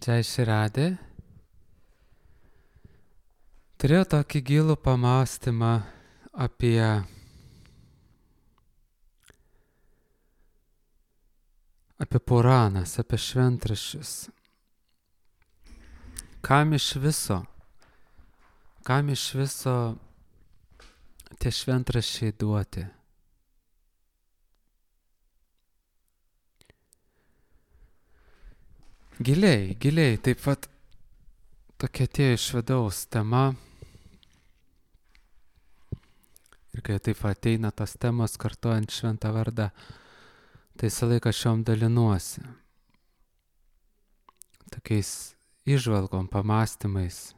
Čia išradė. Turėjau tokį gilų pamąstymą apie Puranas, apie šventraščius. Kam iš viso tie šventraščiai duoti? Giliai, taip pat tokia atėjo iš vidaus tema. Ir kai taip ateina tos temos kartojant šventą vardą, tai visą laiką šiom dalinuosi. Tokiais įžvalgom, pamąstymais.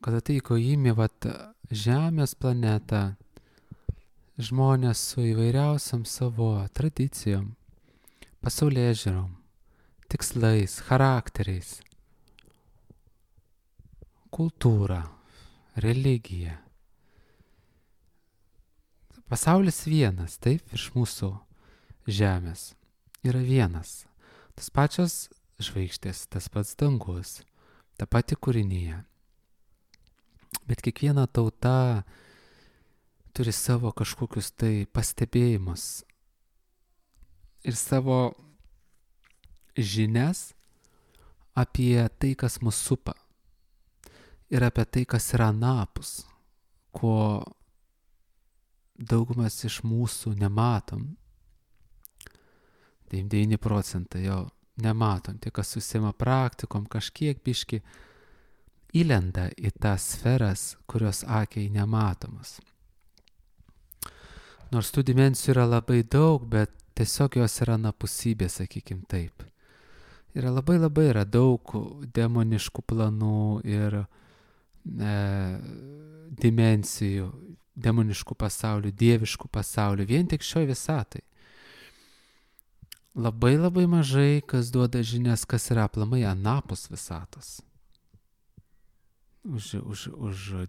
Kada tai įkojimi Žemės planetą, žmonės su įvairiausiam savo tradicijom, pasaulėžiūrom, tikslais, charakteriais, kultūra, religija. Pasaulis vienas, taip, virš mūsų Žemės yra vienas. Tas pačios žvaigždės, tas pats dangus, ta pati kūrinija. Bet kiekviena tauta turi savo kažkokius tai pastebėjimus ir savo žinias apie tai, kas mus supa ir apie tai, kas yra anapus, ko daugumas iš mūsų nematom. 99 procentai jo nematom. Tie, kas užsiima praktikom, kažkiek biški įlenda į tas sferas, kurios akiai nematomas. Nors tų dimensijų yra labai daug, bet tiesiog jos yra anapusybė, sakykim taip. Yra labai daug demoniškų planų ir dimensijų, demoniškų pasaulių, dieviškų pasaulių, vien tik šioj visatai. Labai mažai kas duoda žinias, kas yra aplamai anapus visatos. Už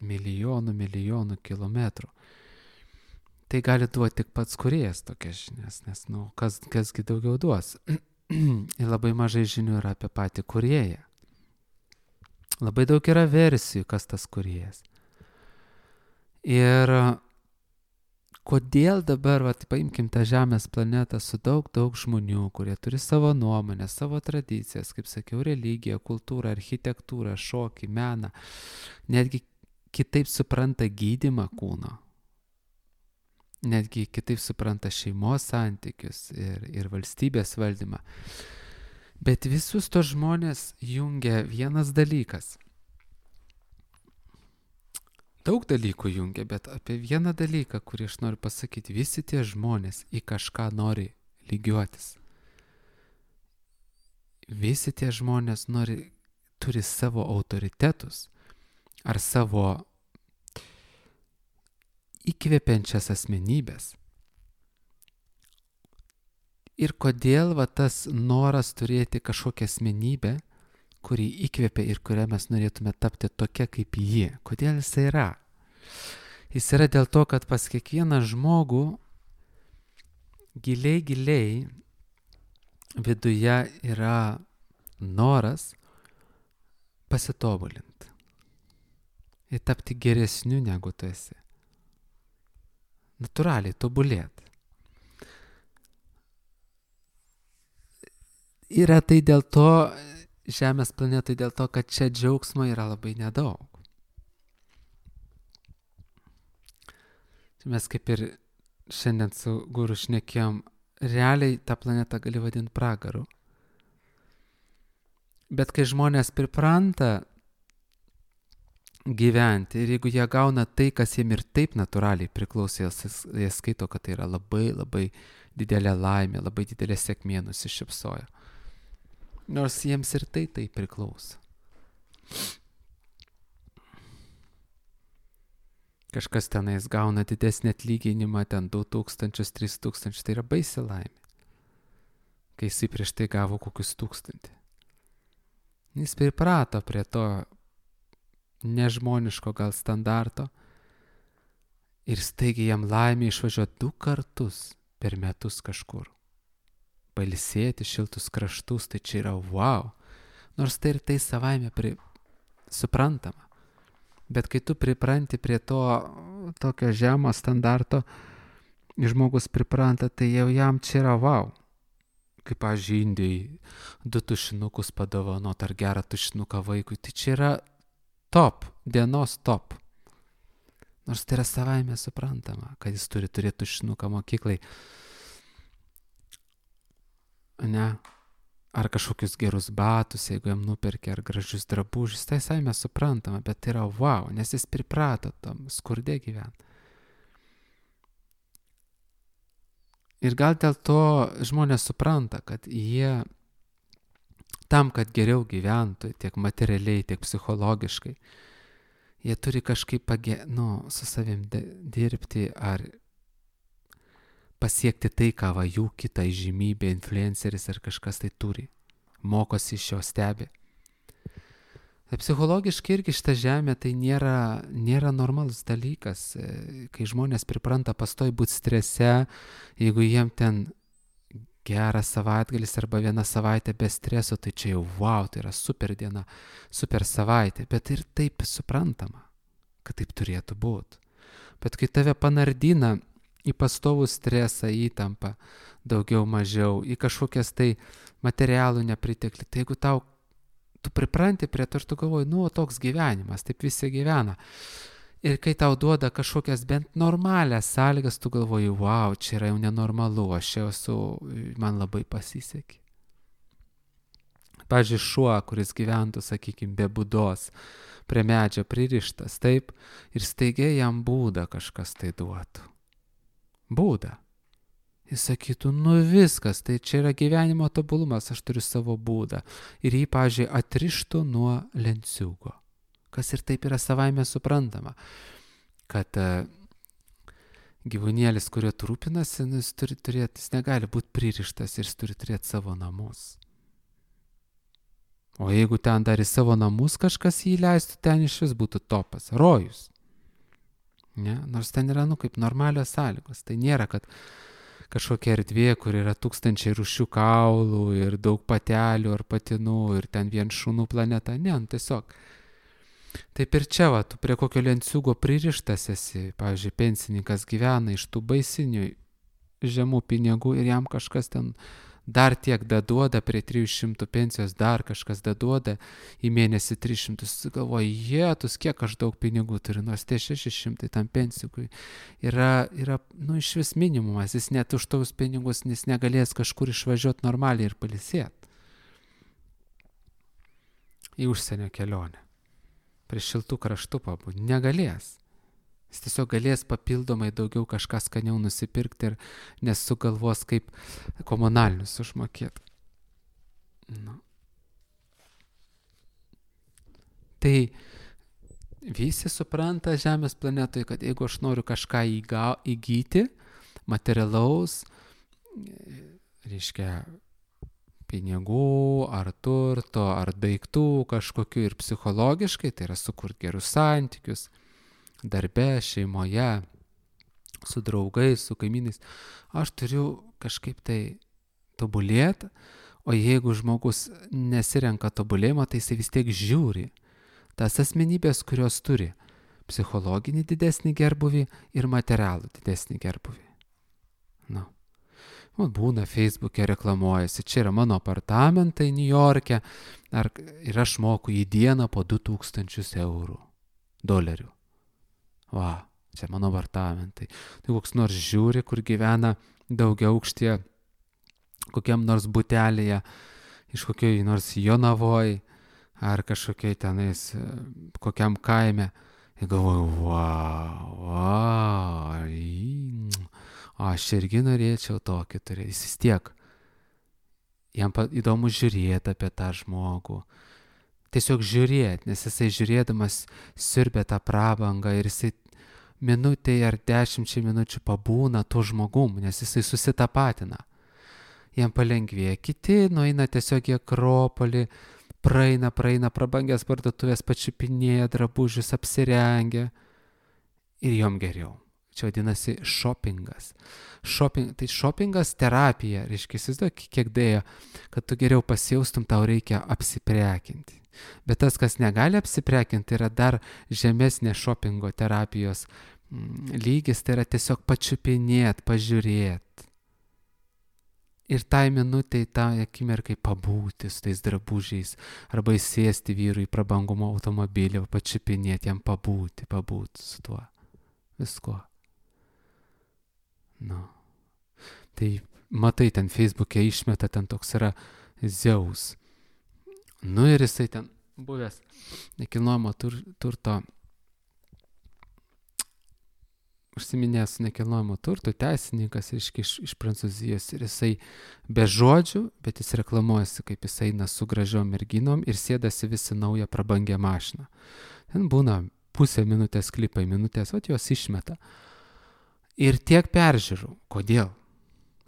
milijonų kilometrų. Tai gali duoti tik pats kūrėjas tokias žinias, nes, kasgi daugiau duos. Ir labai mažai žinių yra apie patį kūrėją. Labai daug yra versijų, kas tas kūrėjas. Ir kodėl dabar, paimkim tą Žemės planetą su daug žmonių, kurie turi savo nuomonę, savo tradicijas, kaip sakiau, religiją, kultūrą, architektūrą, šokį, meną, netgi kitaip supranta gydymą kūno, netgi kitaip supranta šeimos santykius ir valstybės valdymą. Bet visus tos žmonės jungia vienas dalykas. Daug dalykų jungia, bet apie vieną dalyką, kurį aš noriu pasakyti, visi tie žmonės į kažką nori lygiuotis. Visi tie žmonės turi savo autoritetus ar savo įkvepiančias asmenybės. Ir kodėl tas noras turėti kažkokią asmenybę, kurį įkvepia ir kurią mes norėtume tapti tokia kaip ji. Kodėl jis yra? Jis yra dėl to, kad pas kiekvieną žmogų giliai viduje yra noras pasitobulinti ir tapti geresniu negu tu esi. Natūraliai tobulėti. Yra tai dėl to, Žemės planetai dėl to, kad čia džiaugsmo yra labai nedaug. Mes kaip ir šiandien su guru šnekėjom, realiai tą planetą gali vadinti pragaru. Bet kai žmonės pripranta gyventi ir jeigu jie gauna tai, kas jiem ir taip natūraliai priklauso, jie skaito, kad tai yra labai didelė laimė, labai didelė sėkmė, nusišypsojo. Nors jiems ir tai priklauso. Kažkas tenais gauna didesnį atlyginimą, ten 2000, 3000, tai yra baisi laimė. Kai jis prieš tai gavo kokius 1000. Jis priprato prie to nežmoniško gal standarto ir staigiai jam laimė išvažiuoti 2 kartus per metus kažkur. pailsėti, šiltus kraštus, tai čia yra wow. Nors tai ir tai savaime suprantama. Bet kai tu pripranti prie to tokio žemo standarto, žmogus pripranta, tai jau jam čia yra wow. Kaip, pavyzdžiui, Indijai 2 tušinukus padovanot ar gerą tušinuką vaikui, tai čia yra top, dienos top. Nors tai yra savaime suprantama, kad jis turi turėti tušinuką mokyklai. Ne? Ar kažkokius gerus batus, jeigu jam nuperkia, ar gražius drabužius, tai savaime suprantama, bet tai yra wow, nes jis priprato tam skurde gyventi. Ir gal dėl to žmonės supranta, kad jie tam, kad geriau gyventų, tiek materialiai, tiek psichologiškai, jie turi kažkaip su savim dirbti ar pasiekti tai, ką va jų kita įžymybė, influenceris ar kažkas tai turi. Mokosi iš jo, stebi. Tai psichologiškai irgi šitą žemę tai nėra normalus dalykas. Kai žmonės pripranta pastoj būti strese, jeigu jiem ten geras savaitgalis arba 1 savaitė be streso, tai čia jau wow, tai yra super diena, super savaitė. Bet ir taip suprantama, kad taip turėtų būti. Bet kai tave panardina į pastovų stresą, įtampą, daugiau, mažiau, į kažkokias tai materialų nepriteklį, tai jeigu tu pripranti prie to ir tu galvoji, toks gyvenimas, taip visi gyvena. Ir kai tau duoda kažkokias bent normalias sąlygas, tu galvoji, wow, čia yra jau nenormalu, aš jau esu, man labai pasisekė. Pavyzdžiui, šuo, kuris gyventų, sakykime, be būdos, prie medžio pririštas, taip, ir staiga jam būdą kažkas tai duotų. Būdą. Jis sakytų, viskas, tai čia yra gyvenimo tobulumas, aš turiu savo būdą. Ir jį, pavyzdžiui, atrištų nuo lenciūgo. Kas ir taip yra savaime suprantama. Kad gyvūnėlis, kuriuo tu rūpinasi, jis negali būti pririštas ir jis turi turėti savo namus. O jeigu ten dar į savo namus kažkas jį leistų, ten iš vis būtų topas, rojus. Ne? Nors ten yra, kaip normalios sąlygos. Tai nėra, kad kažkokia erdvė, kur yra 1000 rūšių kaulų ir daug patelių ar patinų ir ten vien šunų planeta. Ne, tiesiog. Taip ir čia, tu prie kokio lenciūgo pririštas esi. Pavyzdžiui, pensininkas gyvena iš tų baisinių žemų pinigų ir jam kažkas ten dar tiek daduoda, prie 300 pensijos dar kažkas daduoda, į mėnesį 300, galvoja, jėtus, kiek aš daug pinigų turiu, nors tie 600 tam pensijui yra iš vis minimumas, jis net už tos pinigus jis negalės kažkur išvažiuoti normaliai ir pailsėti. Į užsienio kelionę. Prie šiltų kraštų pabūti. Negalės. Jis tiesiog galės papildomai daugiau kažką skaniau nusipirkti ir nesugalvos kaip komunalinius užmokėti. Tai visi supranta Žemės planetoje, kad jeigu aš noriu kažką įgyti, materialaus, reiškia pinigų, ar turto, ar daiktų kažkokių ir psichologiškai, tai yra sukurti gerus santykius, darbe, šeimoje, su draugais, su kaimynais, aš turiu kažkaip tai tobulėti, o jeigu žmogus nesirenka tobulėjimo, tai jisai vis tiek žiūri tas asmenybės, kurios turi psichologinį didesnį gerbuvį ir materialų didesnį gerbuvį. Būna Facebook'e reklamuojasi, čia yra mano apartamentai Niujorke ir aš moku į dieną po 2000 eurų, dolerių. Va, čia mano apartamentai. Tai koks nors žiūri, kur gyvena daugiaaukštyje, kokiam nors butelėje, iš kokioj nors Jonavoj, ar kažkokiai tenais, kokiam kaime. Ir galvoju, aš irgi norėčiau tokį turėti. Jis vis tiek, jam įdomu žiūrėti apie tą žmogų. Tiesiog žiūrėti, nes jisai žiūrėdamas siurbia tą prabangą ir jisai minutė ar 10 minučių pabūna tuo žmogum, nes jisai susitapatina. Jam palengvėja. Kiti nueina tiesiog į Akropolį, praeina prabangęs parduotuvės, pačiupinėja drabužius, apsirengia ir jom geriau. Čia vadinasi shoppingas. Tai shoppingas terapija, reiškia, įsivaizduok, kiek dėjo, kad tu geriau pasijaustum, tau reikia apsiprekinti. Bet tas, kas negali apsiprekinti, yra dar žemesnė shoppingo terapijos lygis, tai yra tiesiog pačiupinėt, pažiūrėt. Ir tai minutei, tą akimirkai pabūti su tais drabužiais, arba įsėsti vyrui į prabangumo automobilį, pačiupinėti, jam pabūti su tuo. Viskuo. Nu. Tai matai, ten Facebook'e išmeta, ten toks yra Zeus. Nu ir jisai ten buvęs nekilnojamo turto, užsiminęs nekilnojamo turto teisininkas iš Prancūzijos, ir jisai be žodžių, bet jis reklamuojasi, kaip jis eina su gražiom merginom ir sėdasi visi naują prabangią mašiną. Ten būna pusę minutės klipai, minutės, jos išmeta. Ir tiek peržiūrų. Kodėl?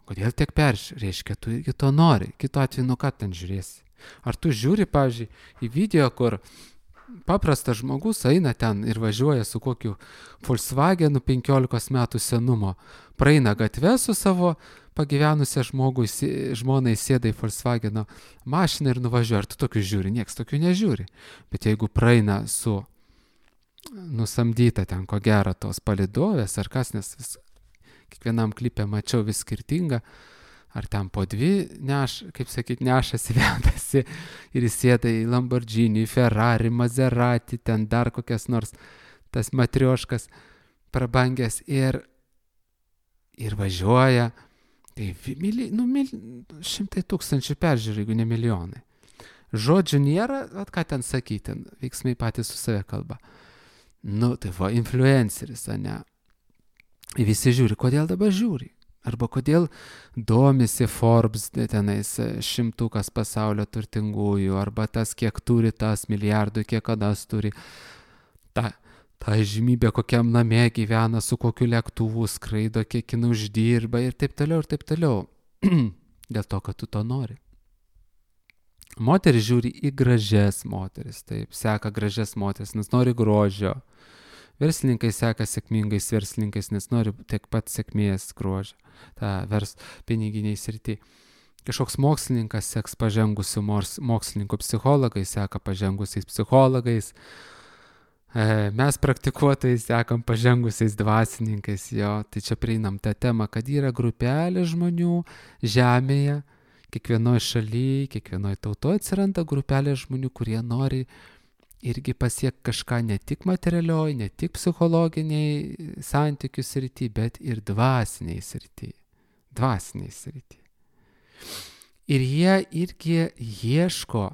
Kodėl tiek peržiūrų? Reiškia, tu irgi to nori. Kitu atveju, nu ką ten žiūrėsi? Ar tu žiūri, pavyzdžiui, į video, kur paprastas žmogus eina ten ir važiuoja su kokiu Volkswagenu 15 metų senumo, praeina gatvę su savo pagyvenusią žmonai, sėda į Volkswageno mašiną ir nuvažiuoja. Ar tu tokius žiūri? Nieks tokių nežiūri. Bet jeigu praeina su nusamdyta ten ko gero tos palidovės ar kas, nes kiekvienam klipė mačiau vis skirtingą, ar ten po dvi nešasi, vedasi ir įsėda į Lamborghini, Ferrari, Maserati, ten dar kokias nors tas matrioškas prabangęs ir važiuoja, tai 100 tūkstančių peržiūrų, jeigu ne milijonai. Žodžių nėra, ką ten sakyti, veiksmai patys su save kalba. Nu, tai va, influenceris, ne? Visi žiūri, kodėl dabar žiūri? Arba kodėl domisi Forbes, tenais 100 pasaulio turtingųjų, arba tas, kiek turi tas milijardų, kiek kadas turi. Ta žymybė, kokiam name gyvena, su kokiu lėktuvu skraido, kiek jinai uždirba ir taip toliau, ir taip toliau. Dėl to, kad tu to nori. Moteris žiūri į gražias moteris, taip, seka gražias moteris, nes nori grožio. Verslininkai seka sėkmingais verslininkais, nes nori tiek pat sėkmės grožio, piniginiai srity. Kažkoks mokslininkas seks pažengusių mokslininkų, psichologai seka pažengusiais psichologais, mes praktikuotojai sekam pažengusiais dvasininkais, jo, tai čia prieinam tą temą, kad yra grupelė žmonių žemėje, kiekvienoje šalyje, kiekvienoje tautoje atsiranda grupelė žmonių, kurie nori irgi pasiekti kažką ne tik materialioj, ne tik psichologiniai santykių srity, bet ir dvasiniai srity. Ir jie irgi ieško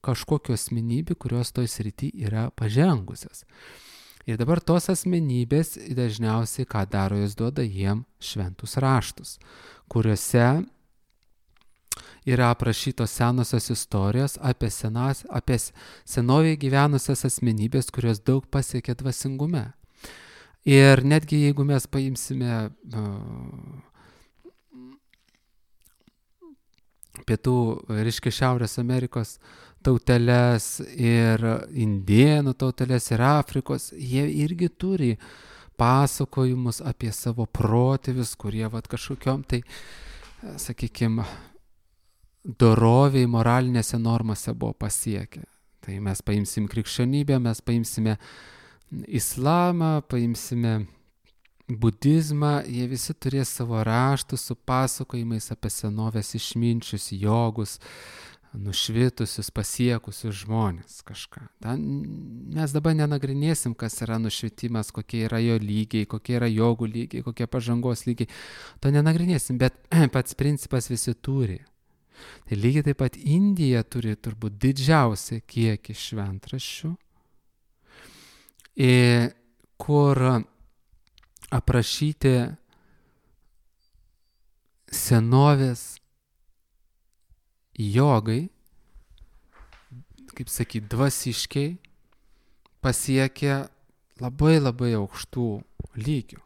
kažkokių asmenybių, kurios toj srity yra pažengusios. Ir dabar tos asmenybės dažniausiai ką daro, jos duoda jiem šventus raštus, kuriuose yra aprašytos senosios istorijos apie senovėje gyvenusias asmenybės, kurios daug pasiekė dvasingume. Ir netgi jeigu mes paimsime pietų, reiškia Šiaurės Amerikos tauteles ir indėnų tauteles ir Afrikos, jie irgi turi pasakojimus apie savo protėvius, kurie kažkokiom tai, sakykime, doroviai moralinėse normose buvo pasiekę. Tai mes paimsim krikščionybę, mes paimsime islamą, paimsime budizmą, jie visi turės savo raštus su pasakojimais apie senovės išminčius, jogus, nušvitusius, pasiekusius žmonės kažką. Mes dabar nenagrinėsim, kas yra nušvitimas, kokie yra jo lygiai, kokie yra jogų lygiai, kokie pažangos lygiai. To nenagrinėsim, bet pats principas visi turi. Tai lygiai taip pat Indija turi turbūt didžiausią kiekį šventraščių, kur aprašyti senovės jogai, kaip sakyti, dvasiškiai pasiekė labai labai aukštų lygių.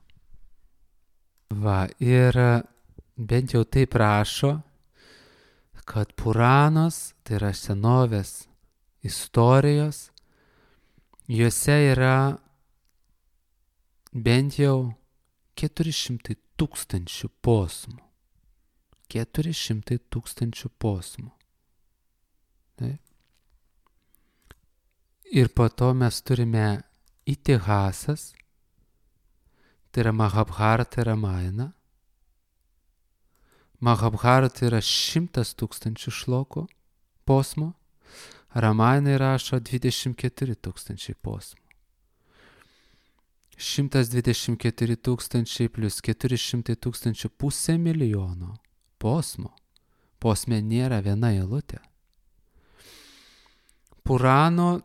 Va, ir bent jau taip rašo, kad Puranos, tai yra senovės istorijos, juose yra bent jau 400 tūkstančių posmų. 400 tūkstančių posmų. Taip. Ir po to mes turime Itihasas, tai yra Mahabharata ir Ramayana. Mahabharata yra 100 tūkstančių šlokų posmų, Ramayana rašo 24 tūkstančiai posmų. 124 tūkstančiai plus 400 tūkstančių, 500 milijono posmų. Posme nėra viena eilutė. Puranas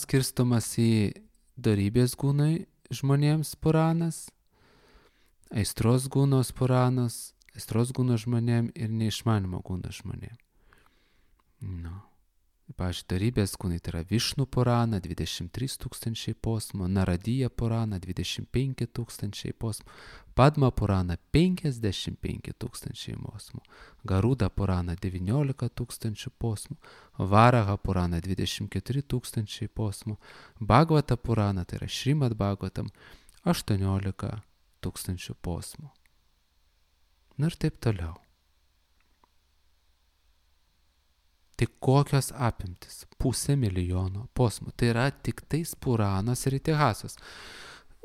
skirstomas į dorybės gūnai žmonėms puranas, aistros gūnos puranas, aistros gūno žmonėm ir neišmanimo gūno žmonėm. Pavyzdžiui, dorybės gūnai tai yra Višnu purana 23 tūkstančiai posmų, Naradija purana 25 tūkstančiai posmų, Padma purana 55 tūkstančiai posmų, Garuda purana 19 tūkstančių posmų, Varaha purana 24 tūkstančiai posmų, Bhagavata purana tai yra Šrimad Bhagavatam 18 tūkstančių posmų. Ir taip toliau. Tai kokios apimtis? 500 milijono posmų. Tai yra tik tais Puranas ir Itihasas.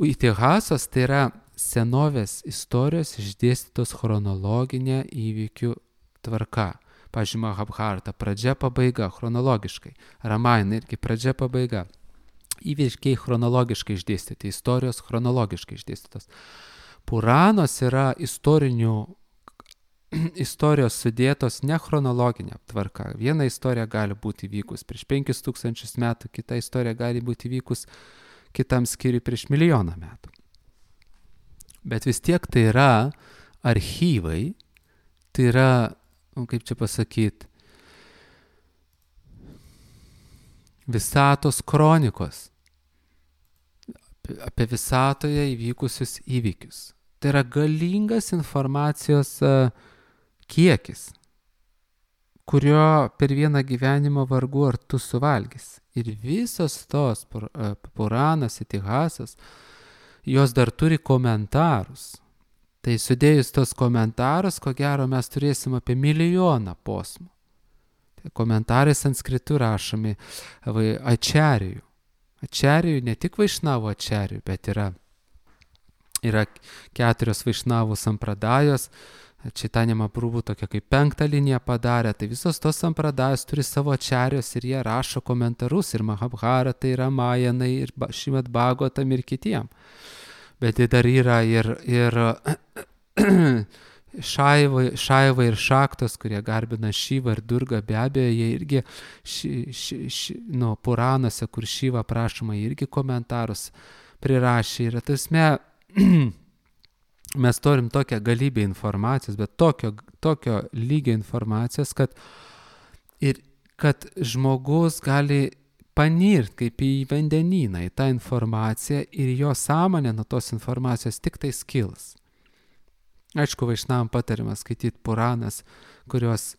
Itihasas tai yra senovės istorijos išdėstytos chronologinė įvykių tvarka. Pavyzdžiui, Mahabharata pradžia pabaiga chronologiškai. Ramayana irgi pradžia pabaiga. Įvykiai chronologiškai išdėstyti, istorijos chronologiškai išdėstytos. Puranos yra istorijos sudėtos ne chronologinė tvarka. Viena istorija gali būti vykus prieš 5000 metų, kita istorija gali būti vykus kitam skyriui prieš 1 milijoną metų. Bet vis tiek tai yra archyvai, tai yra, kaip čia pasakyti, visatos kronikos apie visatoje įvykusius įvykius. Tai yra galingas informacijos kiekis, kurio per vieną gyvenimą vargu ar tu suvalgys. Ir visos tos Puranas, Itihasas, jos dar turi komentarus. Tai sudėjus tos komentarus, ko gero mes turėsim apie 1 milijoną posmų. Tai komentarai sanskritu rašomi ačarijų. Ačarijų, ne tik Vaišnavų ačarijų, bet yra 4 Vaišnavų sampradajos. Čaitanija Mahaprabhu tokia kaip 5 liniją padarė, tai visos tos sampradajos turi savo ačarijos ir jie rašo komentarus ir Mahabharatai, ir Ramayanai, ir Šrimad Bhagavatam ir kitiem. Bet tai dar yra ir Šaiva ir Šaktos, kurie garbina Šivą ir Durgą, be abejo, jie irgi Puranuose, kur Šiva prašoma, irgi komentarus prirašė. Ir tasme mes turim tokią galybę informacijos, bet tokio lygio informacijos, kad žmogus gali panirt kaip į vandenyną, į tą informaciją ir jo sąmonė nuo tos informacijos tik tai skils. Aišku, Vaišnavam patariama skaityti Puranas, kurios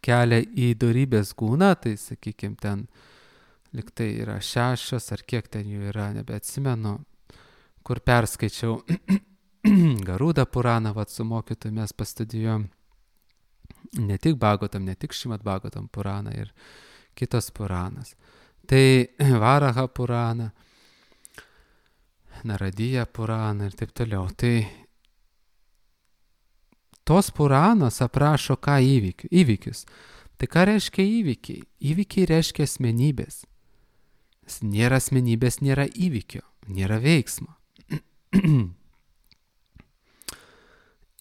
kelia į dorybės gūną, tai sakykime ten liktai yra 6 ar kiek ten jų yra, nebeatsimenu, kur perskaičiau Garuda Puraną, su mokytoju mes pastudijuojam ne tik Bhagavatam, ne tik Šrimad Bhagavatam Puraną ir kitos Puranas. Tai Varaha Purana, Naradija Purana ir taip toliau. Tai tos Puranos aprašo ką įvykius. Tai ką reiškia įvykiai? Įvykiai reiškia asmenybės. Nėra asmenybės, nėra įvykio, nėra veiksmo.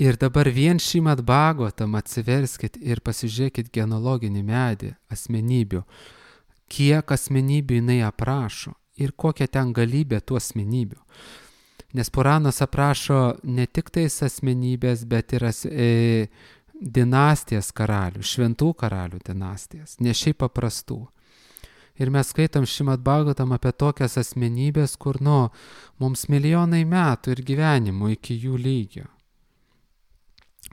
Ir dabar vien Šrimad Bhagavatam atsiverskit ir pasižiūrėkit genealoginį medį asmenybių. Kiek asmenybių jinai aprašo ir kokia ten galybė tų asmenybių. Nes Puranas aprašo ne tik tais asmenybės, bet ir dinastijas karalių, šventų karalių dinastijas, ne šiaip paprastų. Ir mes skaitom Šrimad Bhagavatam apie tokias asmenybės, kur mums milijonai metų ir gyvenimų iki jų lygio.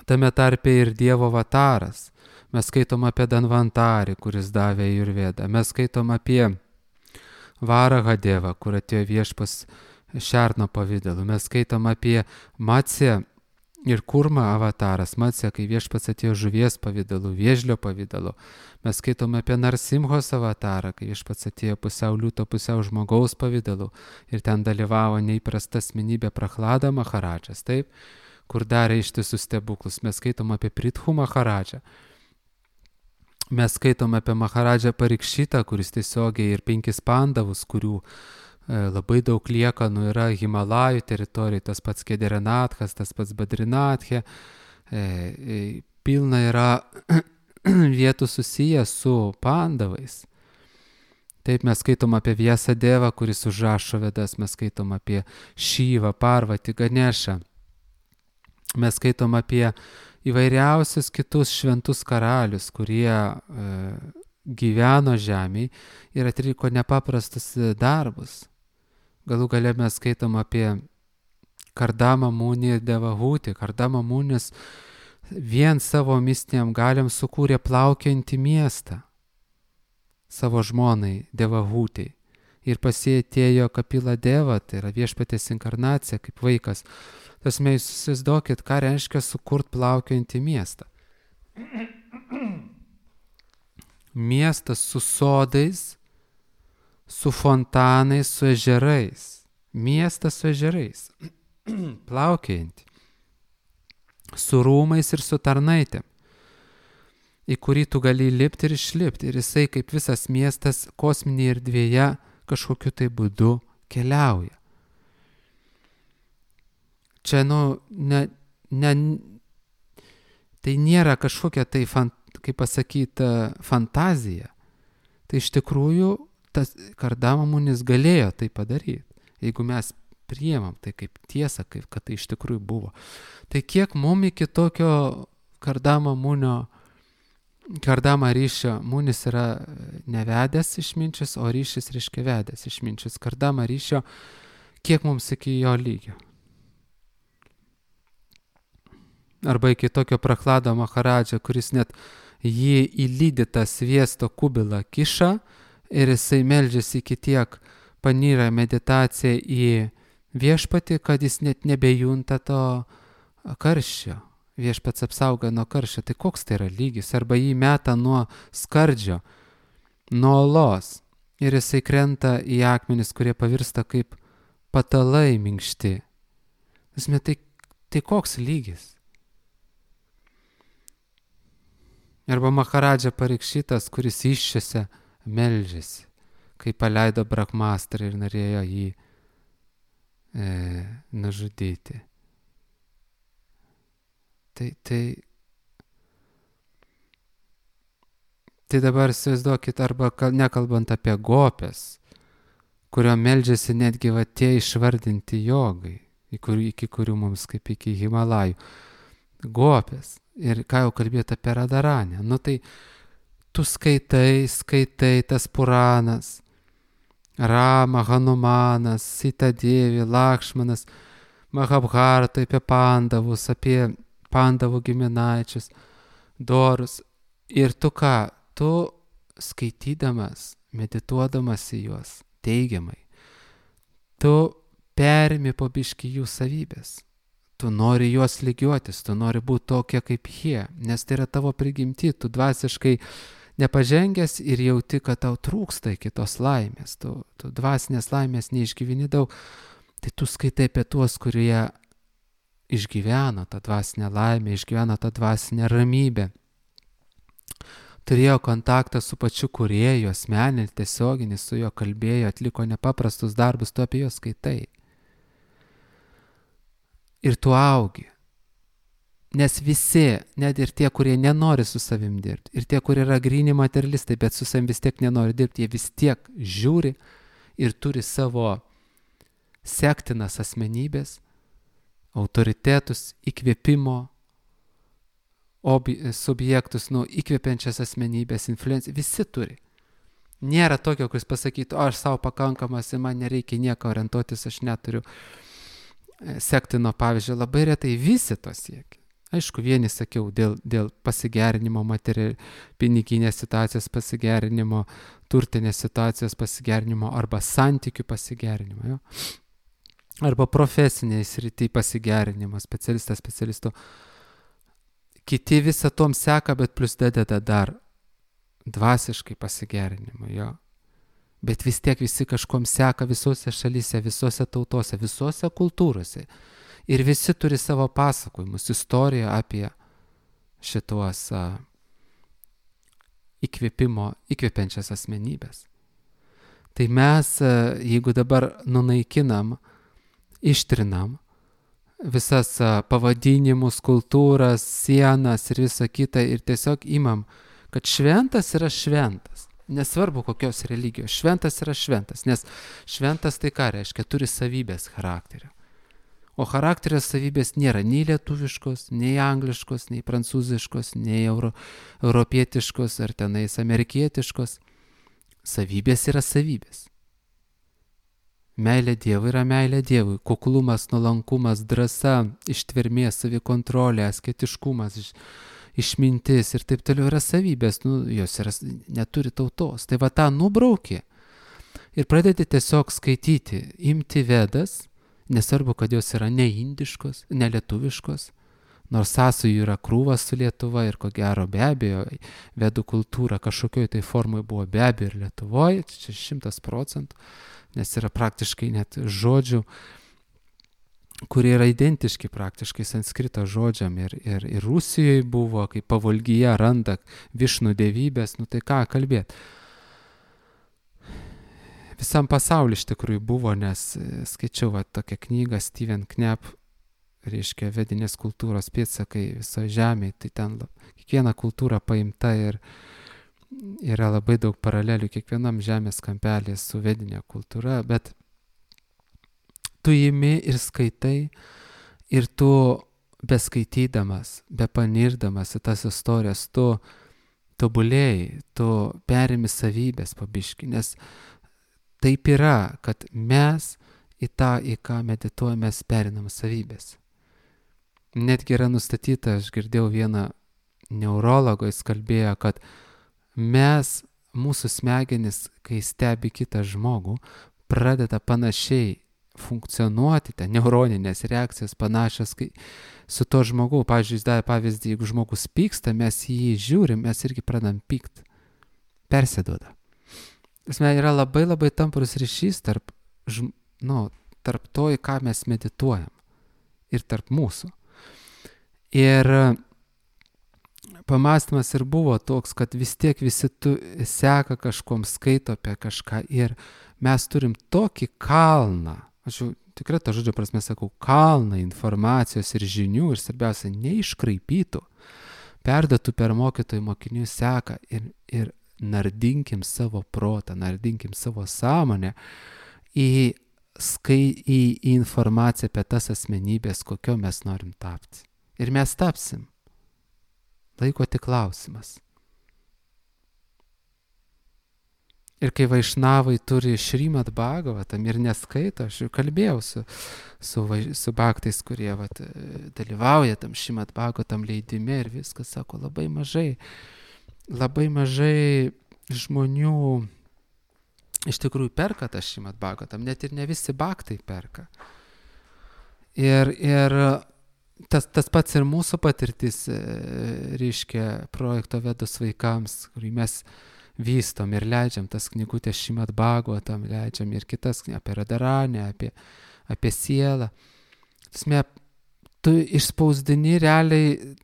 Tame tarpe ir Dievo avataras. Mes skaitom apie Danvantarį, kuris davė Ajurvedą. Mes skaitom apie Varaha Devą, kur atėjo viešpas šerno pavidalu. Mes skaitom apie Matsją ir Kurmą avataras. Matsja, kai Viešpats atėjo žuvies pavidalu, vėžlio pavidalu. Mes skaitom apie Narsimhos avatarą, kai Viešpats atėjo pusiau liūto, pusiau žmogaus pavidalu. Ir ten dalyvavo neįprasta asmenybė Prahlada Maharadžas, taip, kur darė ištisus stebuklus. Mes skaitom apie Prithu Maharadžą. Mes skaitom apie Maharadžą Parikšitą, kuris tiesiogiai ir 5 pandavus, kurių labai daug liekanų yra Himalajų teritorijai, tas pats Kederenatkas, tas pats Badrinathė, pilna yra vietų susiję su pandavais. Taip, mes skaitom apie Vyasadevą, kuris užrašo Vedas, mes skaitom apie Šyvą, Parvatį, Ganešą. Mes skaitom apie įvairiausius kitus šventus karalius, kurie gyveno žemėje ir atliko nepaprastus darbus. Galų gale mes skaitom apie Kardamą Munį ir Devahutį. Kardamą Munis vien savo mistiniam galiam sukūrė plaukiantį miestą savo žmonai Devahutį. Ir pas jį atėjo Kapila Deva, tai yra Viešpaties inkarnacija kaip vaikas. Tas mes įsivaizduokit, ką reiškia sukurt plaukiantį miestą. Miestas su sodais, su fontanais, su ežerais. Miestas su ežerais. Plaukiantį. Su rūmais ir su tarnaitėm, į kurį tu gali lipti ir išlipti. Ir jisai kaip visas miestas kosminėje erdvėje kažkokiu tai būdu keliauja. Čia, tai nėra kažkokia tai, kaip pasakyti, fantazija. Tai iš tikrųjų tas Kardama Munis galėjo tai padaryti, jeigu mes priimam tai kaip tiesą, kad tai iš tikrųjų buvo. Tai kiek mum iki tokio Kardama ryšio, Munis yra nevedęs išminčius, o ryšis reiškia vedęs išminčius. Kardama ryšio, kiek mums iki jo lygio. Arba iki tokio Prahlado Maharadžą, kuris net jį įlydytą sviesto kubilą kiša ir jisai meldžiasi iki tiek panyra meditacija į Viešpatį, kad jis net nebejunta to karščio. Viešpats apsauga nuo karščio. Tai koks tai yra lygis? Arba jį meta nuo skardžio, nuo olos ir jisai krenta į akmenis, kurie pavirsta kaip patalai minkšti. Tai koks lygis? Arba Maharadža Parikšitas, kuris iššiose meldžiasi, kai paleido Brahmastrą ir norėjo jį nužudyti. Tai dabar įsivaizduokit, arba nekalbant apie gopes, kurio meldžiasi netgi va tie išvardinti jogai, iki kurių mums kaip iki Himalajų. Gopes. Ir ką jau kalbėti apie Radaranę. Tai tu skaitai tas Puranas, Rama, Hanumanas, Sita Devi, Lakšmanas, Mahabharata, apie pandavus, apie pandavų giminaičius, dorus. Ir tu ką? Tu skaitydamas, medituodamas į juos teigiamai, tu perimi po biškį jų savybės. Tu nori juos lygiuotis, tu nori būti tokie kaip jie, nes tai yra tavo prigimti, tu dvasiškai nepažengęs ir jauti, kad tau trūksta kitos laimės, tu dvasinės laimės neišgyveni daug, tai tu skaitai apie tuos, kurie išgyveno tą dvasinę laimę, išgyveno tą dvasinę ramybę, turėjo kontaktą su pačiu kūrėju, asmeninį, tiesioginį, su juo kalbėjo, atliko nepaprastus darbus, tu apie juos skaitai. Ir tu augi. Nes visi, net ir tie, kurie nenori su savim dirbti, ir tie, kurie yra gryni materialistai, bet su savim vis tiek nenori dirbti, jie vis tiek žiūri ir turi savo sektinas asmenybės, autoritetus, įkvėpimo subjektus, įkvėpiančias asmenybės, influenciją, visi turi. Nėra tokio, kuris pasakytų, aš savo pakankamas ir man nereikia nieko orientuotis, aš neturiu sektino pavyzdžio, labai retai visi to siekia. Aišku, vieni sakiau, dėl pasigerinimo piniginės situacijos pasigerinimo, turtinės situacijos pasigerinimo arba santykių pasigerinimo. Jo? arba profesiniai srity pasigerinimo, specialisto. Kiti visą tom seka, bet plus dededa dar dvasiškai pasigerinimo, jo. Bet vis tiek visi kažkom seka visose šalyse, visose tautose, visose kultūrose. Ir visi turi savo pasakojimus, istoriją apie šituos įkvepiančias asmenybės. Tai mes, jeigu dabar nunaikinam, ištrinam visas pavadinimus, kultūras, sienas ir visą kitą ir tiesiog imam, kad šventas yra šventas. Nesvarbu kokios religijos, šventas yra šventas, nes šventas tai ką reiškia, turi savybės charakterio. O charakterio savybės nėra nei lietuviškos, nei angliškos, nei prancūziškos, nei europietiškos ar tenais amerikietiškos. Savybės yra savybės. Meilė Dievui yra meilė Dievui. Kuklumas, nuolankumas, drąsa, ištvermė, savikontrolė, asketiškumas, išmintis ir taip toliau yra savybės. Jos yra, neturi tautos. Tai va tą nubraukė ir pradėti tiesiog skaityti, imti Vedas, nesvarbu, kad jos yra ne indiškos, ne lietuviškos, nors sąsajų yra krūvas su Lietuva ir ko gero be abejo Vedų kultūra kažkokioj tai formai buvo be abejo ir Lietuvoje, čia 100%, nes yra praktiškai net žodžių, kurie yra identiški praktiškai sanskrito žodžiam ir Rusijoje buvo, kai pavolgyje randa višnų dievybės, tai ką kalbėti. Visam pasauliu iš tikrųjų buvo, nes skaičiau tokią knygą Steven Knepp, reiškia vedinės kultūros pėdsakai visoje žemėje, tai ten kiekviena kultūra paimta ir yra labai daug paralelių kiekvienam žemės kampelį su vedinė kultūra, bet tu imi ir skaitai ir tu beskaitydamas, bepanirdamas į tas istorijas, tu tobulėjai, tu perimi savybės pabiški, nes taip yra, kad mes į tą, į ką medituojame, mes perinam savybės. Netgi yra nustatyta, aš girdėjau vieną neurologo, jis kalbėjo, kad mūsų smegenys, kai stebi kitą žmogų, pradeda panašiai funkcionuoti, neuroninės reakcijos panašios su to žmogu. Pavyzdžiui, jis davė pavyzdį, jeigu žmogus pyksta, mes jį žiūrim, mes irgi pradam pykt, persiduoda. Yra labai labai tamprus ryšys tarp to, į ką mes medituojam ir tarp mūsų. Ir pamastymas ir buvo toks, kad vis tiek visi seka kažkom, skaito apie kažką ir mes turim tokį kalną, aš jau tikrai to žodžio prasme sakau, kalną informacijos ir žinių ir svarbiausia, neiškraipytų, perduotų per mokytojų mokinių seką ir nardinkim savo protą, nardinkim savo sąmonę į informaciją apie tas asmenybės, kokio mes norim tapti. Ir mes tapsim. Laiko tik klausimas. Ir kai vaišnavai turi Šrimad Bhagavatam ir neskaito, aš jau kalbėjau su bhaktais, kurie dalyvauja tam Šrimad Bhagavatam leidime ir viskas, sako, labai mažai žmonių iš tikrųjų perka tą Šrimad Bhagavatam, net ir ne visi bhaktai perka. Ir tas pats ir mūsų patirtis, reiškia, projekto Vedos vaikams, kurį mes vystom ir leidžiam tas knygutės Šrimad Bhagavatam, leidžiam ir kitas apie Radharanę, apie sielą. Tu išspausdini realiai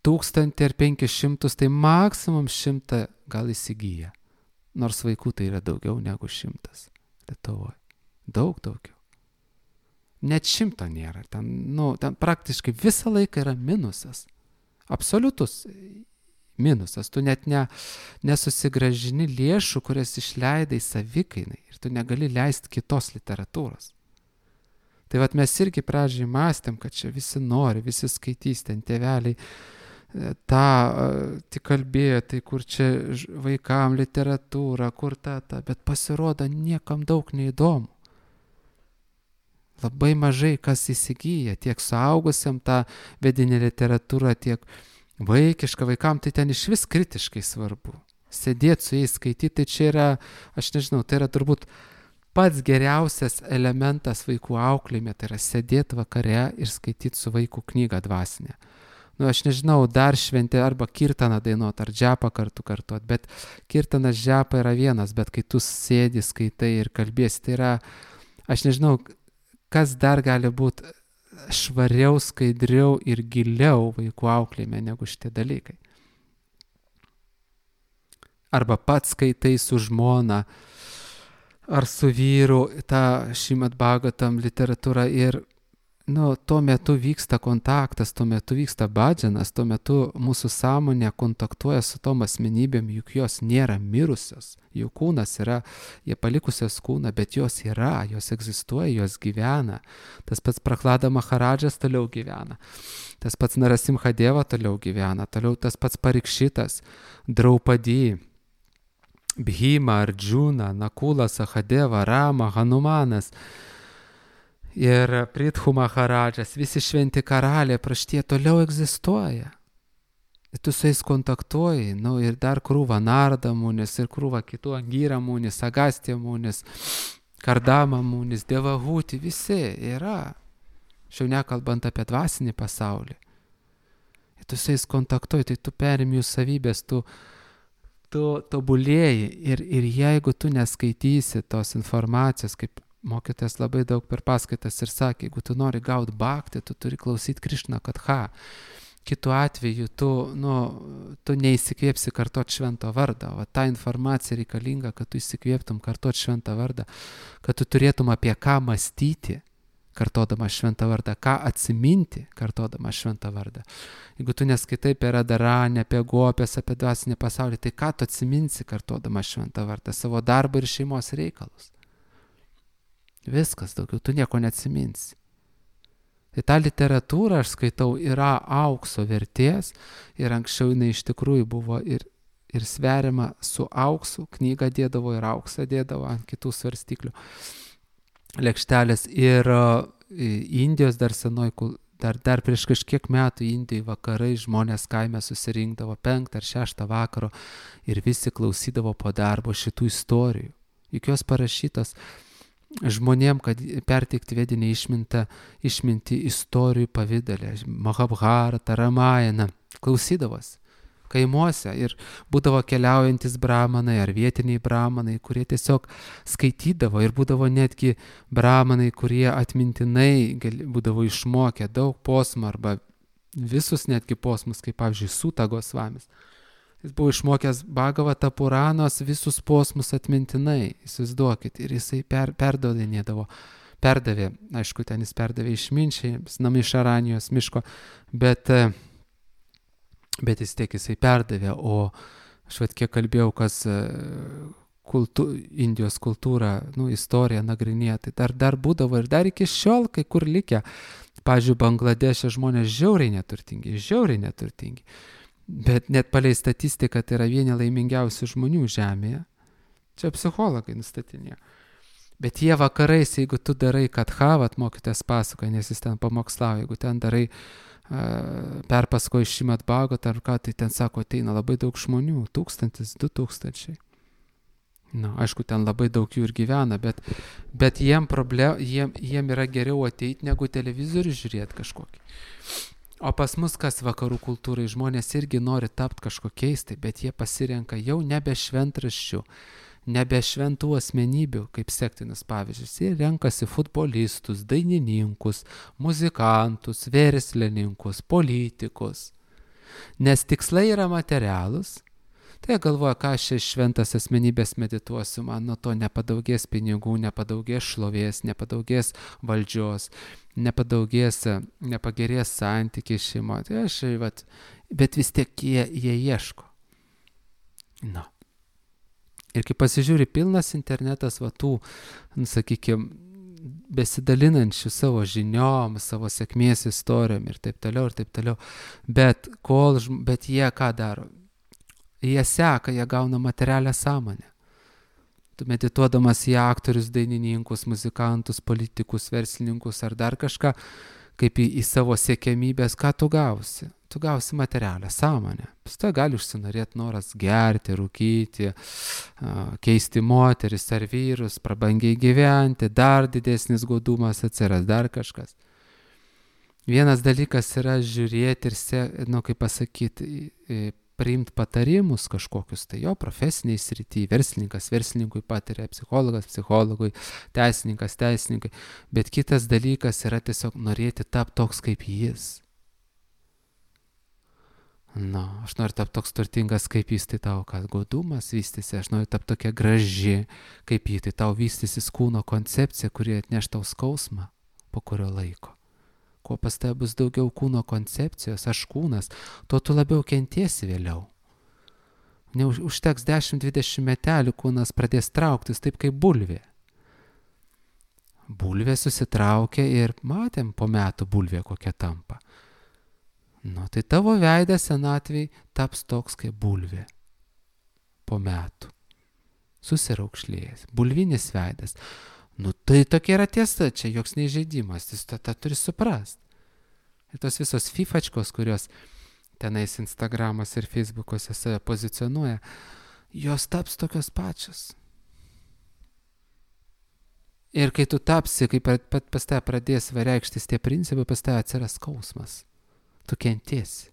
1000 ar 500, tai maksimum 100 gal įsigyja. Nors vaikų tai yra daugiau negu 100 Lietuvoje. Daug daugiau. Net 100 nėra. Ten praktiškai visą laiką yra minusas. Absoliutus minusas. Tu net nesusigražini lėšų, kurias išleidai savikainai ir tu negali leisti kitos literatūros. Tai mes irgi pradžiai mąstėm, kad čia visi nori, visi skaitys, ten tėveliai tik kalbėjo, tai kur čia vaikam literatūra, kur bet pasirodo niekam daug neįdomu. Labai mažai kas įsigyja, tiek suaugusiam tą vedinę literatūrą, tiek vaikišką vaikam, tai ten iš vis kritiškai svarbu. Sėdėti su jais, skaityti, tai čia yra, aš nežinau, tai yra turbūt pats geriausias elementas vaikų auklėjime, tai yra sėdėti vakare ir skaityti su vaiku knygą dvasinę. Aš nežinau, dar šventė arba kirtaną dainuot, ar džepą kartuot, bet kirtanas džepą yra vienas, bet kai tu sėdi, skaitai ir kalbėsi, tai yra, aš nežinau, kas dar gali būti švariau, skaidriau ir giliau vaikų auklėjime negu šitie dalykai. Arba pats skaitai su žmona, ar su vyru tą Šrimad Bhagavatam literatūrą ir tuo metu vyksta kontaktas, tuo metu vyksta bhajanas, tuo metu mūsų sąmonė kontaktuoja su tom asmenybėm, juk jos nėra mirusios, jų kūnas yra, jie palikusios kūną, bet jos yra, jos egzistuoja, jos gyvena. Tas pats Prahlada Maharadžas toliau gyvena, tas pats Narasimha Deva toliau gyvena, toliau tas pats Parikšitas, Draupadi, Bhima, Arjuna, Nakula, Sahadeva, Rama, Hanumanas ir Prithu Maharadžas, visi šventi karaliai, praštie toliau egzistuoja. Ir tu su jais kontaktuoji, ir dar krūva Narda Munis, ir krūva kitų Angyra Munis, Agastya Munis, Kardama Munis, Devahuti, visi yra. Šiau nekalbant apie dvasinį pasaulį. Ir tu su jais kontaktuoji, tai tu perimi jų savybės, tu tobulėji ir jeigu tu neskaitysi tos informacijos, kaip mokytojas labai daug per paskaitas ir sakė, jeigu tu nori gauti bhaktį, tu turi klausyti Krišna Katha. Kitu atveju tu neįsikvėpsi kartot švento vardą, o ta informacija reikalinga, kad tu įsikvėptum kartot šventą vardą, kad tu turėtum apie ką mąstyti, kartodama šventą vardą, ką atsiminti, kartodama šventą vardą. Jeigu tu neskaitai apie Radharanį, apie gopės, apie dvasinį pasaulį, tai ką tu atsiminsi, kartodama šventą vardą, savo darbą ir šeimos reikalus. Viskas, daugiau tu nieko neatsiminsi. Tai ta literatūra, aš skaitau, yra aukso vertės ir anksčiau jinai iš tikrųjų buvo ir sveriama su auksu, knygą dėdavo ir auksą dėdavo ant kitų svarstyklių lėkštelės ir Indijos dar senoj, dar prieš kažkiek metų Indijai vakarai žmonės kaime susirinkdavo 5 ar 6 vakaro ir visi klausydavo po darbo šitų istorijų. Juk jos parašytos žmonėm, kad perteikti vedinę išmintį istorijų pavidalę, Mahabharata, Ramayana, klausydavos kaimuose ir būdavo keliaujantis brahmanai ar vietiniai brahmanai, kurie tiesiog skaitydavo ir būdavo netgi brahmanai, kurie atmintinai būdavo išmokę daug posmų arba visus netgi posmus, kaip pavyzdžiui Suta Gosvamis. Jis buvo išmokęs Bhagavata Puranos visus posmus atmintinai, įsivaizduokit, ir jisai perdavė, aišku, ten jis perdavė išminčiai, iš Aranijos miško, bet jisai perdavė, o aš kiek kalbėjau, kas Indijos kultūrą, istoriją nagrinėja, tai dar būdavo ir dar iki šiol kai kur likę. Pavyzdžiui, Bangladešė žmonės žiauriai neturtingi. Bet net palei statistiką tai yra vieni laimingiausių žmonių žemėje. Čia psichologai nustatinėjo. Bet jie vakarais, jeigu tu darai kathavat, mokytojas pasakoja, nes jis ten pamokslavo, jeigu ten darai perpasakoji Šrimad Bhagavatam ar ką, tai ten sako, ateina labai daug žmonių, 1000, 2000. Aišku, ten labai daug jų ir gyvena, bet jiem yra geriau ateiti, negu televizorių žiūrėti kažkokį. O pas mus, kas vakarų kultūrai, žmonės irgi nori tapti kažkokiais, bet jie pasirenka jau nebe šventraščių, nebe šventų asmenybių, kaip sektinis pavyzdžius. Jie renkasi futbolistus, dainininkus, muzikantus, verslininkus, politikus. Nes tikslai yra materialūs. Tai galvoja, ką aš šventas asmenybės medituosiu, man nuo to nepadaugės pinigų, nepadaugės šlovės, nepadaugės valdžios, nepagerės santykiai šeimoje. Bet vis tiek jie ieško. Ir kai pasižiūri, pilnas internetas tų, sakykime, besidalinančių savo žiniom, savo sėkmės istorijom ir taip toliau. Bet jie ką daro? Jie seka, jie gauna materialią sąmonę. Tu medituodamas į aktorius, dainininkus, muzikantus, politikus, verslininkus ar dar kažką, kaip į savo siekiamybės, ką tu gausi? tu gausi materialią sąmonę. Paskui gali užsinorėti noras gerti, rūkyti, keisti moteris ar vyrus, prabangiai gyventi, dar didesnis godumas atsiras, dar kažkas. Vienas dalykas yra žiūrėti ir, kaip pasakyti, priimti patarimus kažkokius, tai jo profesiniai srity, verslininkas verslininkui patiria, psichologas psichologui, teisininkas teisininkui, bet kitas dalykas yra tiesiog norėti tapti toks kaip jis. Aš noriu tapti toks turtingas kaip jis, tai tau kad godumas vystysi, aš noriu tapti tokia graži kaip jis, tai tau vystysis kūno koncepcija, kuri atneš tau skausmą po kurio laiko. Kuo pas tave bus daugiau kūno koncepcijos, aš kūnas, tuo tu labiau kentiesi vėliau. Užteks 10-20 metelių, kūnas pradės trauktis taip kaip bulvė. Bulvė susitraukia ir matėm po metų bulvė kokia tampa. Tai tavo veidas senatvėj taps toks kaip bulvė. Po metų. Susiraukšlėjęs. Bulvinis veidas. Tai tokia yra tiesa, čia joks neįžeidimas, jis tą turi suprast. Ir tos visos fifačkos, kurios tenais Instagramas ir Facebook'ose save pozicionuoja, jos taps tokios pačios. Ir kai tu tapsi, kai pas tave pradės reikštis tie principai, pas tave atsiras skausmas. Tu kentiesi.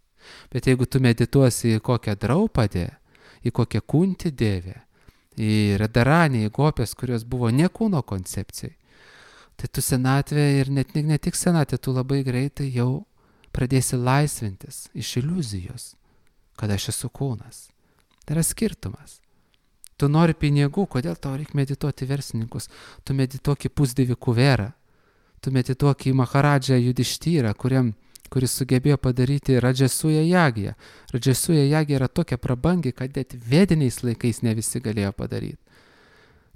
Bet jeigu tu medituosi į kokią draupadę, į kokią kuntį dėvę, į radaranį, į gopės, kurios buvo ne kūno koncepcijai, tai tu senatvė ir ne tik senatvė, tu labai greitai jau pradėsi laisvintis iš iliuzijos, kad aš esu kūnas. Tai yra skirtumas. Tu nori pinigų, kodėl tau reikia medituoti verslininkus? Tu medituok į pusdivį kuverą, tu medituok į Maharadžą Judištyrą, kuris sugebėjo padaryti Radžasuja Jagiją. Radžasuja Jagija yra tokia prabangi, kad net vediniais laikais ne visi galėjo padaryti.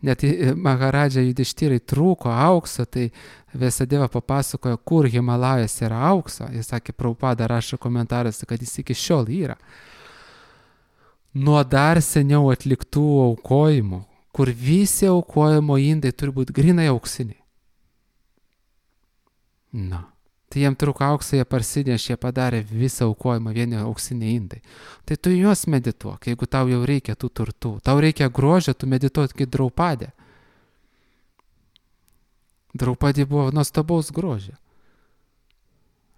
Net Maharadža Judištyrai trūko aukso, tai Vėsadeva papasakojo, kur Himalajas yra aukso. Jis sakė, Prabhupada rašo komentaruose, kad jis iki šiol yra. Nuo dar seniau atliktų aukojimų, kur visi aukojimo indai turi būti grinai auksiniai. Tai jiem trūko aukso, jie parsinešė, jie padarė visą aukojimą, vieni auksiniai indai. Tai tu juos medituok, jeigu tau jau reikia tų turtų. Tau reikia grožio, tu medituok kaip Draupadė. Draupadė buvo nuostabaus grožio.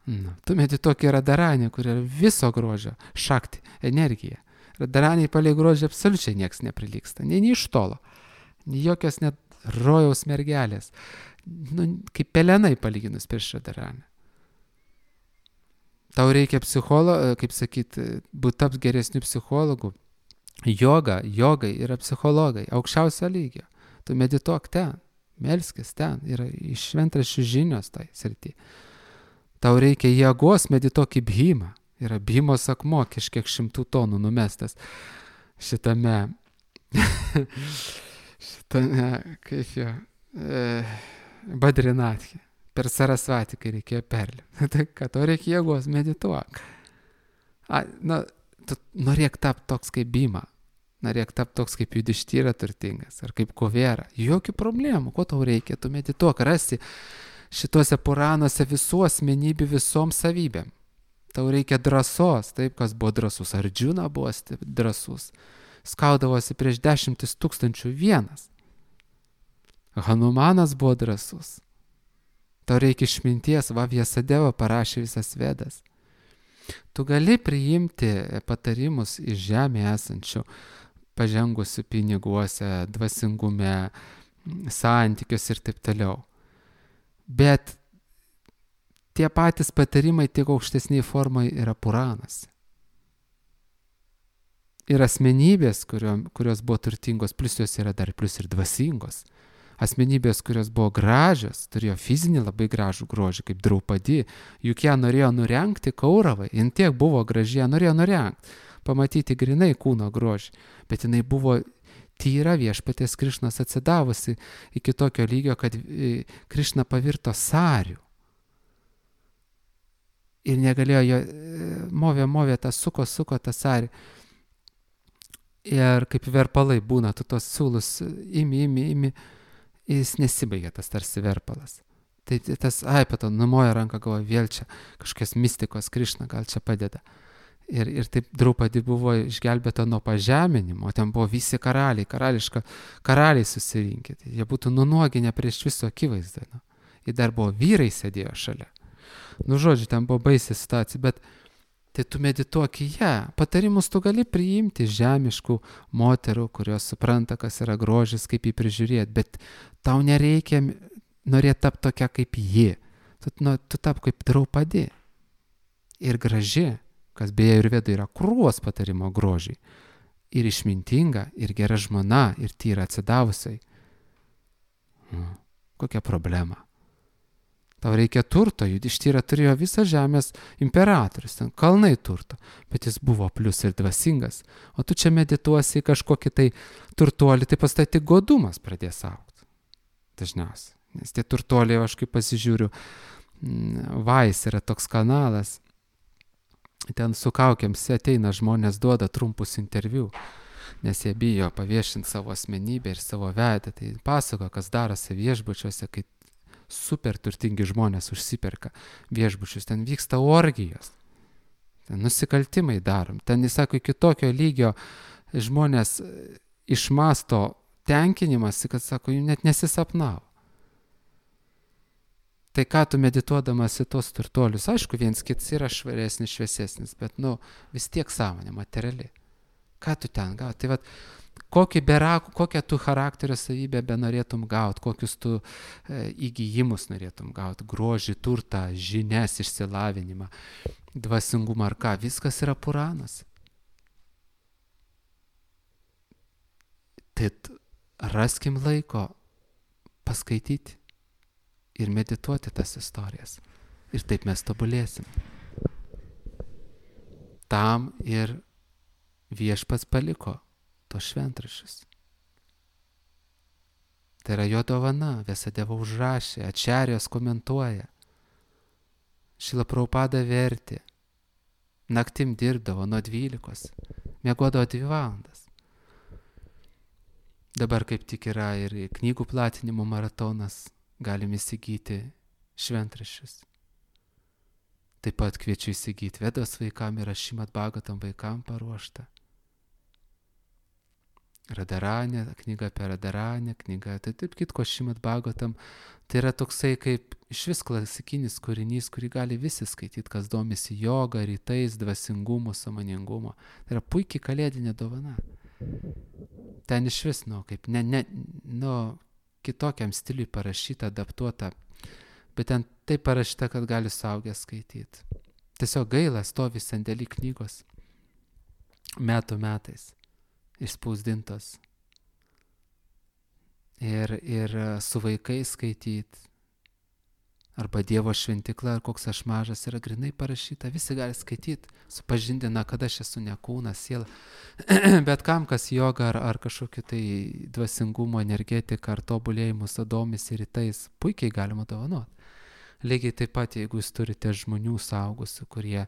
Tu medituok į Radaranį, kur yra viso grožio, šakti, energija. Radaraniai palei grožį absoliučiai nieks neprilyksta, nei iš tolo, nei jokios net rojaus mergelės. Kaip pelenai palyginus prieš Radaranį. Tau reikia kaip sakyti, būti taps geresnių psichologų. Jogai yra psichologai, aukščiausio lygio. Tu medituok ten, melskis ten, yra iš šventraščių žinios tai srity. Tau reikia jėgos, medituok į Bhimą. Yra Bhimos akmuo, kažkiek 100 tonų numestas šitame, kaip jo, Badrinathe. Per Sarasvatį, kai reikėjo perlipti. Tai kad to reikia jėgos, medituok. Tu norėk tapti toks kaip Bhima. Norėk tapti toks kaip Judištyra turtingas. Ar kaip Kuvera. Jokių problemų. Ko tau reikia? Tu medituok. Rasi šituose Puranuose visų asmenybių visom savybėm. Tau reikia drąsos. Taip, kas buvo drąsus. Ardžuna buvo drąsus. Skaudavosi prieš 10 000 vienas. Hanumanas buvo drąsus. Tau reikia išminties, Vėsadeva parašė visas Vedas. Tu gali priimti patarimus iš žemėje esančių, pažengusių piniguose, dvasingume, santykius ir taip toliau. Bet tie patys patarimai tiek aukštesniai formai yra Puranuose. Ir asmenybės, kurios buvo turtingos, plus jos yra dar plus ir dvasingos. Asmenybės, kurios buvo gražios, turėjo fizinį labai gražų grožį, kaip Draupadi, juk ją norėjo nurengti Kauravai, jin tiek buvo graži, ją norėjo nurengti, pamatyti grinai kūno grožį, bet jinai buvo tyra Viešpaties Krišnos atsidavusi iki tokio lygio, kad Krišna pavirto sariu. Ir negalėjo jo, movė tą, suko tą sarį. Ir kaip verpalai būna, tu tos siūlus imi, jis nesibaigia tas tarsi verpalas. Tai tas Aipato numoja ranką, galvoja, vėl čia kažkokios mistikos, Krišna gal čia padeda. Ir taip Draupadi buvo išgelbėta nuo pažeminimo, ten buvo visi karaliai susirinkę. Tai jie būtų nunuoginę prieš viso akivaizdą. Nu. Ir dar buvo vyrai sėdėjo šalia. Nu, žodžiu, ten buvo baisi situacija, bet tai tu medituok į ją. Patarimus tu gali priimti žemiškų moterų, kurios supranta, kas yra grožis, kaip jį prižiūrėti, bet tau nereikia norėti tapti tokia kaip ji. Tu tap kaip Draupadi. Ir graži, kas beje ir Vedai yra krūvos patarimo grožiai. Ir išmintinga, ir gera žmona, ir tyra atsidavusiai. Kokia problema? Tau reikia turto, Judištyra turėjo visą žemės imperatorius, ten kalnai turto, bet jis buvo plius ir dvasingas. O tu čia medituosi į kažkokį tai turtuolį, tai pas tai tik godumas pradės augti. Dažniausiai. Nes tie turtuoliai, aš kaip pasižiūriu, Vais yra toks kanalas, ten su kaukiams ateina žmonės, duoda trumpus interviu, nes jie bijo paviešinti savo asmenybę ir savo veidą. Tai pasako, kas darosi viešbučiuose, kai super turtingi žmonės užsiperka viešbučius, ten vyksta orgijos, ten nusikaltimai darom, ten, jis sako, iki tokio lygio žmonės išmasto tenkinimąsi, kad sako, jų net nesisapnavo. Tai ką tu medituodamas į tos turtuolius, aišku, viens kits yra švaresnis, šviesesnis, bet, vis tiek sąmonė, materiali. Ką tu ten gauti? Tai vat, kokią tu charakterio savybę benorėtum gauti, kokius tu įgijimus norėtum gauti, grožį, turtą, žinias, išsilavinimą, dvasingumą ar ką, viskas yra Puranas. Tai raskim laiko paskaityti ir medituoti tas istorijas. Ir taip mes tobulėsim. Tam ir Viešpats paliko tos šventraščius. Tai yra jo dovana, Vyasadeva užrašė, Ačarijos komentuoja. Šrila Prabhupada vertė, naktim dirbdavo nuo 12, miegodavo 2 valandas. Dabar kaip tik yra ir knygų platinimo maratonas, galim įsigyti šventraščius. Taip pat kviečiu įsigyti Vedos vaikam ir Šrimad Bhagavatam vaikam paruoštą. Radaranė, knyga apie Radaranę, knyga, tai taip kitko Šrimad Bhagavatam, tai yra toksai kaip išvis klasikinis kūrinys, kurį gali visi skaityti, kas domisi joga, rytais, dvasingumu, sąmoningumu. Tai yra puikiai kalėdinė dovana. Ten išvis, kaip kitokiam stiliui parašyta, adaptuota, bet ten taip parašyta, kad gali suaugęs skaityti. Tiesiog gaila, stovi sandėly knygos metų metais išspausdintos. Ir su vaikais skaityti, arba Dievo šventikla, ar koks aš mažas, yra grinai parašyta, visi gali skaityti, supažindina, kad aš esu ne kūnas, siela. Bet kam, kas joga ar kažkokį tai dvasingumo, energetiką ar tobulėjimus domisi rytais, puikiai galima dovanoti. Lygiai taip pat, jeigu jūs turite žmonių saugusių, kurie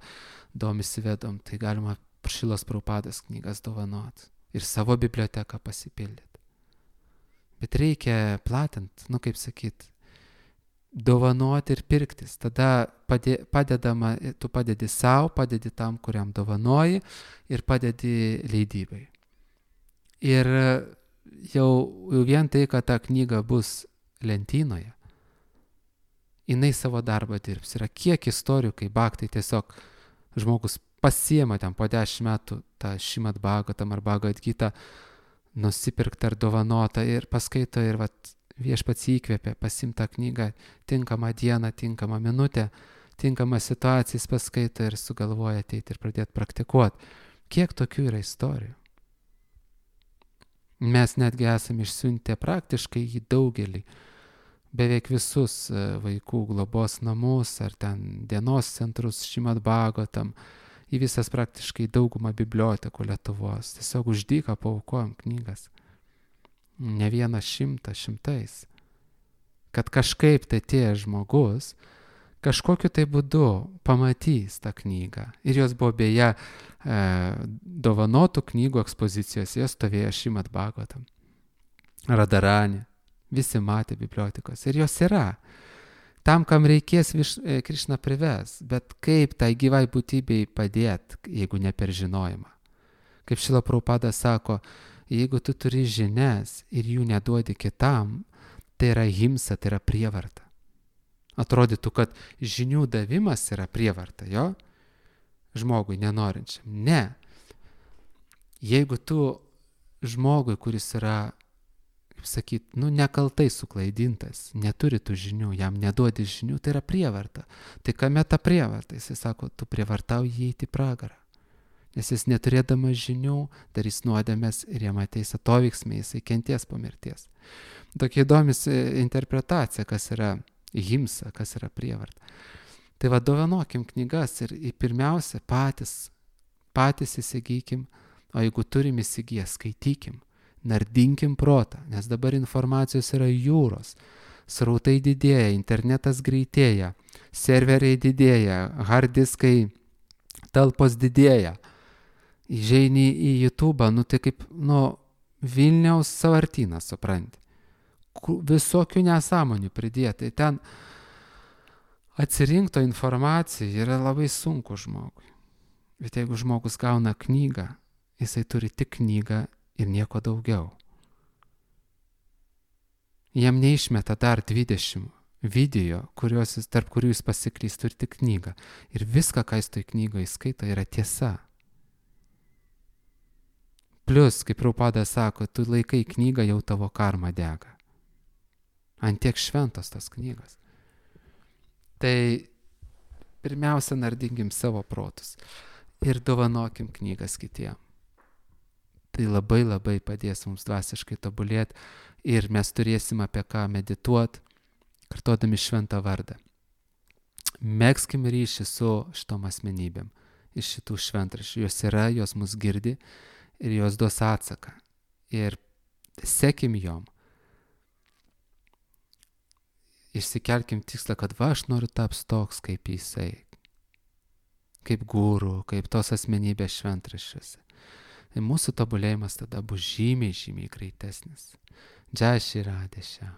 domisi Vedom, tai galima Šrilos Prabhupados knygas dovanoti ir savo biblioteką pasipildyti. Bet reikia platinti, kaip sakyti, dovanoti ir pirktis. Tada padedama, tu padedi savo, padedi tam, kuriam dovanoji ir padedi leidybai. Ir jau vien tai, kad ta knyga bus lentynoje, jinai savo darbą dirbs. Yra kiek istorijų, kai bhaktai tiesiog žmogus pasiema ten po 10 metų tą Šrimad Bhagavatam ar Bhagavad Gitą nusipirktą ar dovanotą ir paskaito ir Viešpats įkvėpė pasimtą knygą, tinkamą dieną, tinkamą minutę, tinkamą situaciją paskaito ir sugalvoja ateiti ir pradėti praktikuoti. Kiek tokių yra istorijų? Mes netgi esame išsiuntę praktiškai į daugelį, beveik visus vaikų globos namus ar ten dienos centrus Šrimad Bhagavatam, į visas praktiškai daugumą bibliotekų Lietuvos. Tiesiog už dyką paaukojom knygas. Ne 100, šimtais. Kad kažkaip tai tie žmogus kažkokiu tai būdu pamatys tą knygą. Ir jos buvo beje dovanotų knygų ekspozicijos, jos stovėjo Šrimad Bhagavatam. Radaranė. Visi matė bibliotekos. Ir jos yra. tam, kam reikės, Krišna prives, bet kaip tai gyvai būtybei padėti, jeigu ne per žinojimą. Kaip Šrila Prabhupada sako, jeigu tu turi žinias ir jų neduodi kitam, tai yra himsa, tai yra prievarta. Atrodytų, kad žinių davimas yra prievarta, jo? Žmogui nenorinčiam. Ne. Jeigu tu žmogui, kuris yra, kaip sakyt, nekaltai suklaidintas, neturi tų žinių, jam neduodi žinių, tai yra prievarta. Tai kame ta prievarta? Jis sako, tu prievartauji įeiti į pragarą. Nes jis neturėdamas žinių darys nuodėmes ir jam ateis atoveiksmiai, jisai kenties po mirties. Tokia įdomis interpretacija, kas yra himsa, kas yra prievarta. Tai dovanokim knygas ir pirmiausia patys įsigykim, o jeigu turim įsigiję, skaitykim, nardinkim protą, nes dabar informacijos yra jūros, srautai didėja, internetas greitėja, serveriai didėja, hard diskai, talpos didėja. Įžeini į YouTube, tai kaip, Vilniaus sąvartynas, supranti. Visokių nesąmonių pridėti. Ten atsirinkto informacija yra labai sunku žmogui. Bet jeigu žmogus gauna knygą, jisai turi tik knygą ir nieko daugiau. Jam neišmeta dar 20 video, tarp kurių jis pasiklys, turi tik knygą. Ir viską, ką jis toj knygoje skaito, yra tiesa. Plius, kaip Prabhupada sako, tu laikai knygą, jau tavo karma dega. Ant tiek šventos tos knygos. Tai pirmiausia, nardinkim savo protus ir dovanokim knygas kitiem. Tai labai labai padės mums dvasiškai tobulėti ir mes turėsim apie ką medituoti, kartodami šventą vardą. Megzkim ryšį su šitom asmenybėm iš šitų šventraščių. Jos yra, jos mus girdi ir jos duos atsaką. Ir sekim jom. Išsikelkim tikslą, kad aš noriu taps toks kaip jisai. Kaip guru, kaip tos asmenybės šventraščiuose. Ir mūsų tobulėjimas tada bus žymiai, žymiai greitesnis. Jai Shri Radhe Shyam.